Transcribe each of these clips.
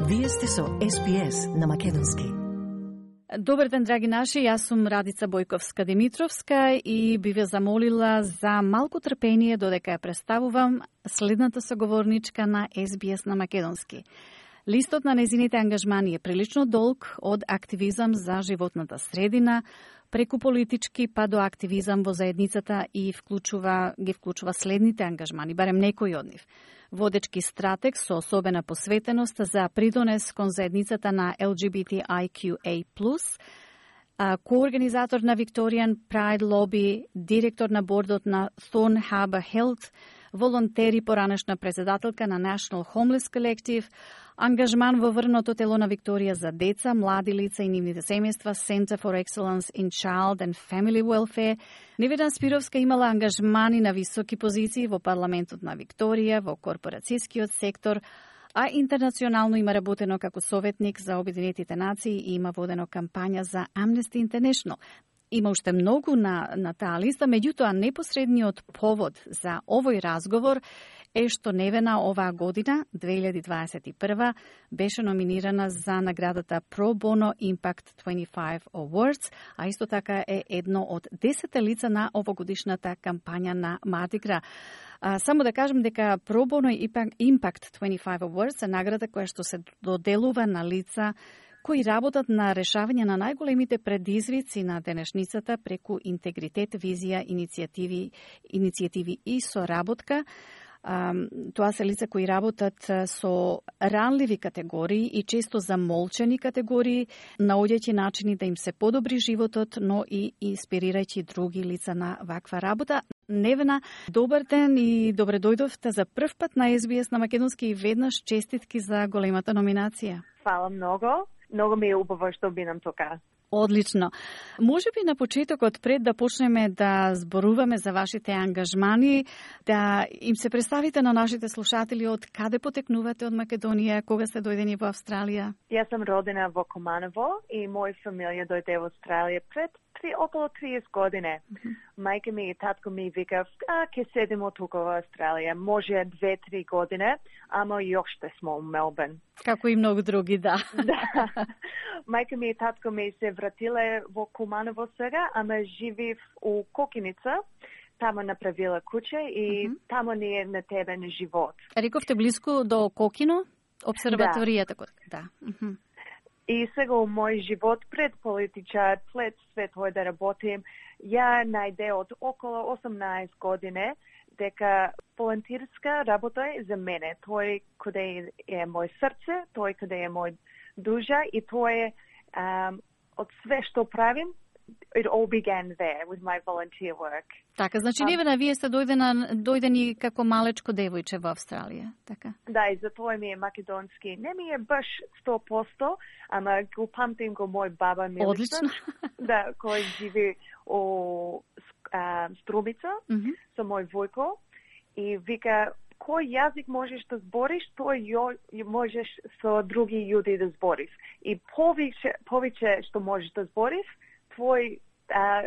Вие сте со СПС на Македонски. Добар ден, драги наши, јас сум Радица Бојковска-Димитровска и би ве замолила за малку трпение додека ја представувам следната соговорничка на СБС на Македонски. Листот на незините ангажмани е прилично долг, од активизам за животната средина, преку политички па до активизам во заедницата и ги вклучува следните ангажмани, барем некои од нив. Водечки стратег со особена посветеност за придонес кон заедницата на LGBTIQA+, коорганизатор на Victorian Pride Lobby, директор на бордот на Thorn Harbour Health, волонтери поранешна председателка на National Homeless Collective, ангажман во врното тело на Викторија за деца, млади лица и нивните семејства, Center for Excellence in Child and Family Welfare. Невена Спировска имала ангажмани на високи позиции во парламентот на Викторија, во корпорацијскиот сектор, а интернационално има работено како советник за Обединетите нации и има водено кампања за Amnesty International. Има уште многу на таа листа, меѓутоа непосредниот повод за овој разговор е што Невена оваа година, 2021, беше номинирана за наградата Pro Bono Impact 25 Awards, а исто така е едно од 10 лица на овогодишната кампања на Mardi Gras. Само да кажем дека Pro Bono Impact 25 Awards е награда која што се доделува на лица кои работат на решавање на најголемите предизвици на денешницата преку интегритет, визија, иницијативи и соработка. Тоа се лица кои работат со ранливи категории и често замолчени категории, наоѓајќи начини да им се подобри животот, но и инспирирајќи други лица на ваква работа. Невена, добар ден и добре дојдовте за прв пат на СБС на Македонски и веднаш честитки за големата номинација. Фала многу. Многу ми е убаво што бидам тука. Одлично. Може би на почетокот, пред да почнеме да зборуваме за вашите ангажмани, да им се представите на нашите слушатели од каде потекнувате од Македонија, кога сте дојдени во Австралија? Јас сум родена во Команово и моја фамилија дојде во Австралија пред околу 30 години. Мајка ми и татко ми викав, ќе седимо тука во Австралија. Може 2-3 години, ама јоште смо у Мелбурн. Како и многу други, да. Да. Мајка ми и татко ми се вратиле во Команово сега, ама живив у Кокиница. Тамо направила куќа и тамо ни е натебен живот. Рековте близко до Кокино? Обсерваторијата? Да. И сега у мој живот пред политичар, пред све тоа да работим, ја најде од около 18 години дека волонтерска работа е за мене. Тој каде е мој срце, тој каде е мој душа и тоа е од све што правим. It all began there with my volunteer work. Така, значи Невена, вие сте дојдени како малечко девојче во Австралија, така? Да, и затоа ми е македонски. Не ми е баш 100%, ама го памтим го мој баба Милица. Одлично. Да, кој живи у Струмица, со мој војко. И вика, кој јазик можеш да збориш, тој можеш со други јуди да збориш. И повеќе што можеш да збориш, твој,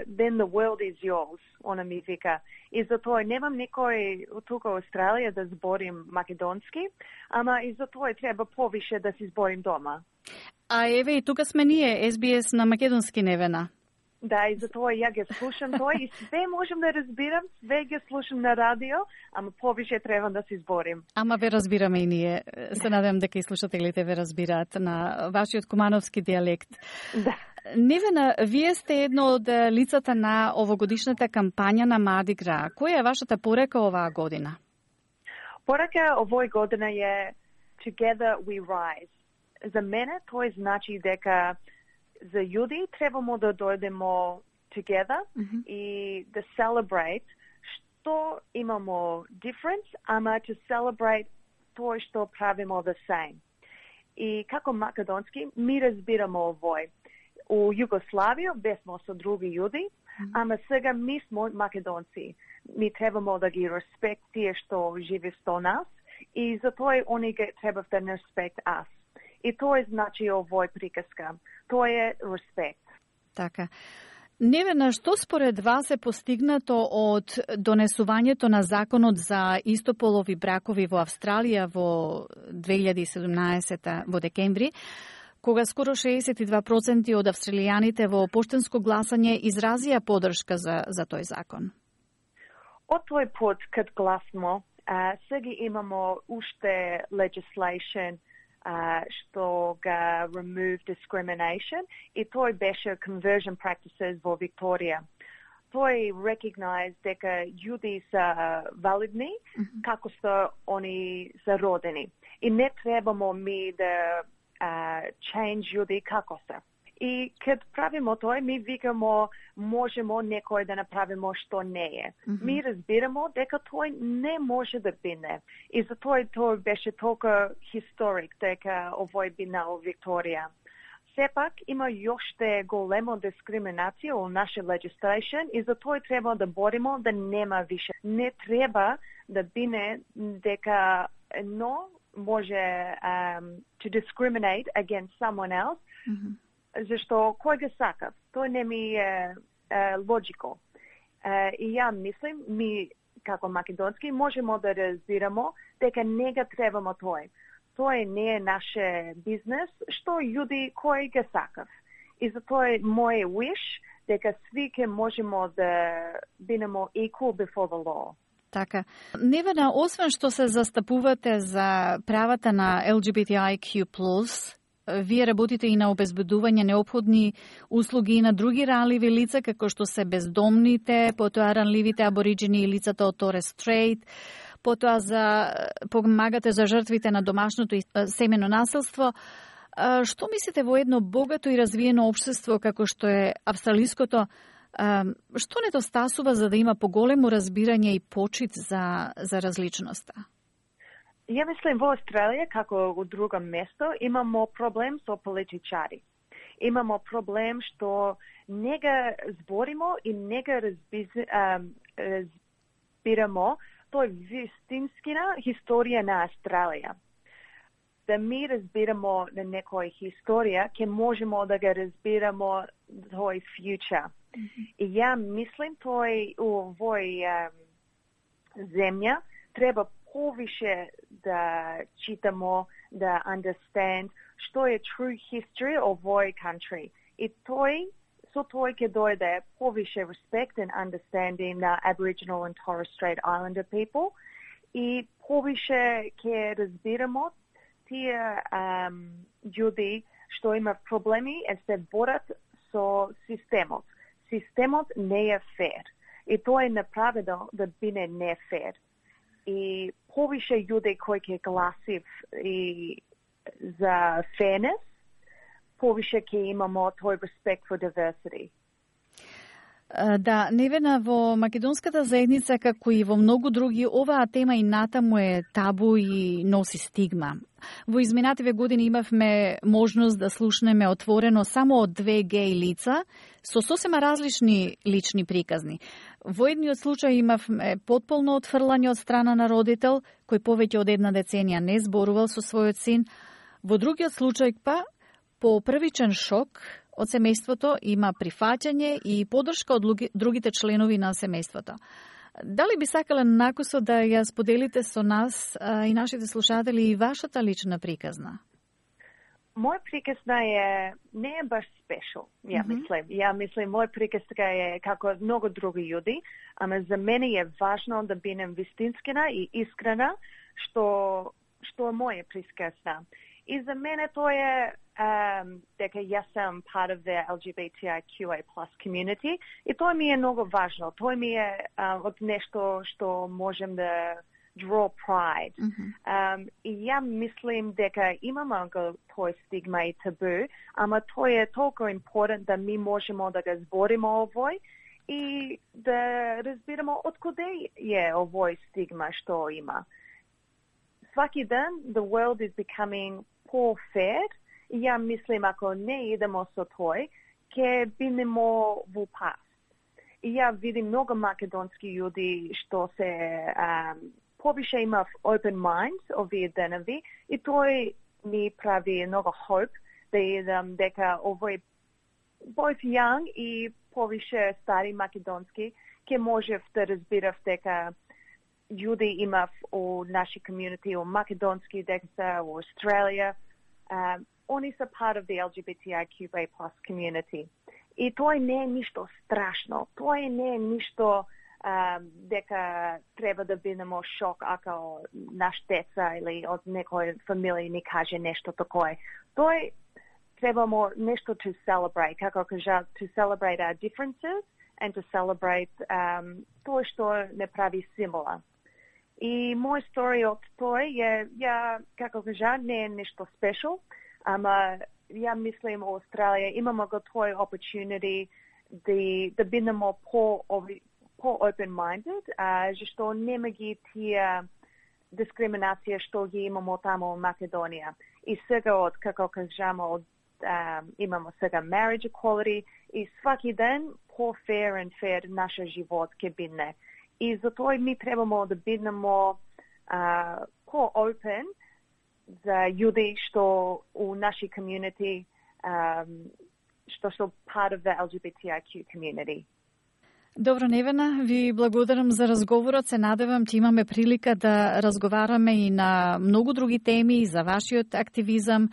then the world is yours, она ми вика. И затоа немам некој тука во Австралија да зборим македонски, ама и затоа треба повише да си зборим дома. А еве и тука сме ние, СБС на македонски, Невена. Да, и затоа ја ги слушам тоа и све можам да разбирам, све ги слушам на радио, ама повише треба да си зборим. Ама ве разбираме и ние. Се надевам дека и слушателите ве разбираат на вашиот кумановски дијалект. Да. Невена, вие сте едно од лицата на овогодишната кампања на Mardi Gras. Која е вашата порека оваа година? Порека овој година е Together We Rise. За мене тоа значи дека за јуди требамо да дојдемо together и да celebrate што имамо difference, ама to celebrate тоа што правимо the same. И како македонски ми разбираме овој. У Југославија бесмо со други јуди, ама сега ми смо македонци. Ми требамо да ги респект тие што живи со нас и затоа они треба да респект us. И тоа значи овој приказка. Тоа е респект. Така. Невена, што според вас е постигнато од донесувањето на законот за истополови бракови во Австралија во 2017 во декември, кога скоро 62% од австралијаните во поштенско гласање изразија поддршка за тој закон? Од тој пат кад гласмо, сега имамо уште legislation што ga remove discrimination и тој беше conversion practices во Викторија. Тој recognized дека јуди се валидни како се они се родени. И не требамо ми да change јуди како се. И кад правимо тој, ми викамо можемо некој да направимо што не е. Ми разбирамо дека тој не може да бине. И за тој беше толку историк дека овој бина во Викторија. Сепак има јоште големо дискриминација во наша legislation и за тој треба да боримо да нема више. Не треба да бине дека едно може to discriminate against someone else, зашто кој го сака? Тој не ми е логико. И ја мислим, ми како македонски можемо да разбирамо дека не го требамо тој. Тој не е наше бизнес, што јуди кој го сакав. И за тој мој wish дека сви ке можемо да бидеме equal before the law. Така. Невена, освен што се застапувате за правата на LGBTIQ+, вие работите и на обезбедување неопходни услуги и на други ранливи лица, како што се бездомните, потоа ранливите абориджини и лицата од Торес Стрейт, потоа помагате за жртвите на домашното и семено насилство. Што мислите во едно богато и развиено општество како што е австралиското, што недостасува за да има поголемо разбирање и почит за различноста? Ја мислим во Австралија, како во друго место, имамо проблем со политичари. Имамо проблем што не ga зборимо и не ga разбирамо тој вистинскина историја на Австралија. Да ми разбирамо на некоја историја, ќе можемо да ga разбирамо тој future. И ја мислим тој овој земја треба повише да читамо, да understand што е true history of овој country. И со тој ќе дојде повише respect and understanding на Aboriginal and Torres Strait Islander people и повише ќе разбирамо тие људи што имаат проблеми и се борат со системот. Системот не е фер. И тоа е направено да биде не фер. И повише људи кои ќе гласив и за fairness, повише ќе имамо тој respect for diversity. Да, Невена, во македонската заедница, како и во многу други, оваа тема и натаму е табу и носи стигма. Во изминативе години имавме можност да слушнеме отворено само од 2 геј лица со сосема различни лични приказни. Во едниот случај имавме потполно отфрлање од страна на родител, кој повеќе од 1 деценија не зборувал со својот син. Во другиот случај па, по првичен шок од семејството има прифаќање и поддршка од другите членови на семејството. Дали би сакале накусо да ја споделите со нас и нашите слушатели и вашата лична приказна? Моја приказна не е баш спешал, ја мислим. Ја мислим, моја приказна е како многу други људи, ама за мене е важно да бидем вистинскина и искрена, што е моја приказна. И за мене тоа е дека јас сам part of the LGBTIQA+ community и тоа ми е многу важно. Тоа ми е од нешто што можем да draw pride. И ја мислим дека имаме тој стигма и табу, ама тој е толку important да ми можемо да го збориме овој и да разбираме од каде е овој стигма што има. Сваки ден, the world is becoming more fair. И ја мислим, ако не идемо со тој, ќе бидемо во пас. И ја видим многу македонски људи што се повише имав open mind овие денови и тој ми прави многу hope да идам дека овој both young и повише стари македонски, ке можев да разбирав дека јуди имав у наши комјунити, у македонски деца, у Австралија. Они са part of the LGBTIQA+ community. И тоа не е ништо страшно. Тоа не е ништо дека треба да бидемо шок ако наш деца или од некој фамилија ни каже нешто такое. Тоа требамо нешто to celebrate, како кажа, to celebrate our differences and to celebrate тоа што не прави символа. И мој story од тоа е, како кажа, не е нешто special, ама ја мислим во Австралија имамо го тој opportunity да бидемо по-open-minded, зашто нема ги тие дискриминација што ги имамо тамо во Македонија. И сега од, како кажамо, имамо сега marriage equality и сваки ден по-fair and fair нашиот живот ке бидне. И затоа ми требамо да биднемо по-open за јуди што у наши community, што се part of the LGBTIQ community. Добро, Невена, ви благодарам за разговорот. Се надевам че имаме прилика да разговараме и на многу други теми, и за вашиот активизам,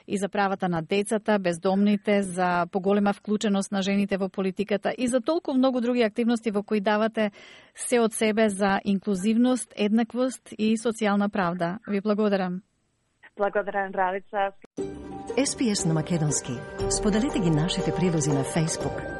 и за правата на децата, бездомните, за поголема вклученост на жените во политиката и за толку многу други активности во кои давате се од себе за инклузивност, еднаквост и социјална правда. Ви благодарам. Благодарам, Радица. SPS на македонски. Споделете ги нашите прилози на Facebook,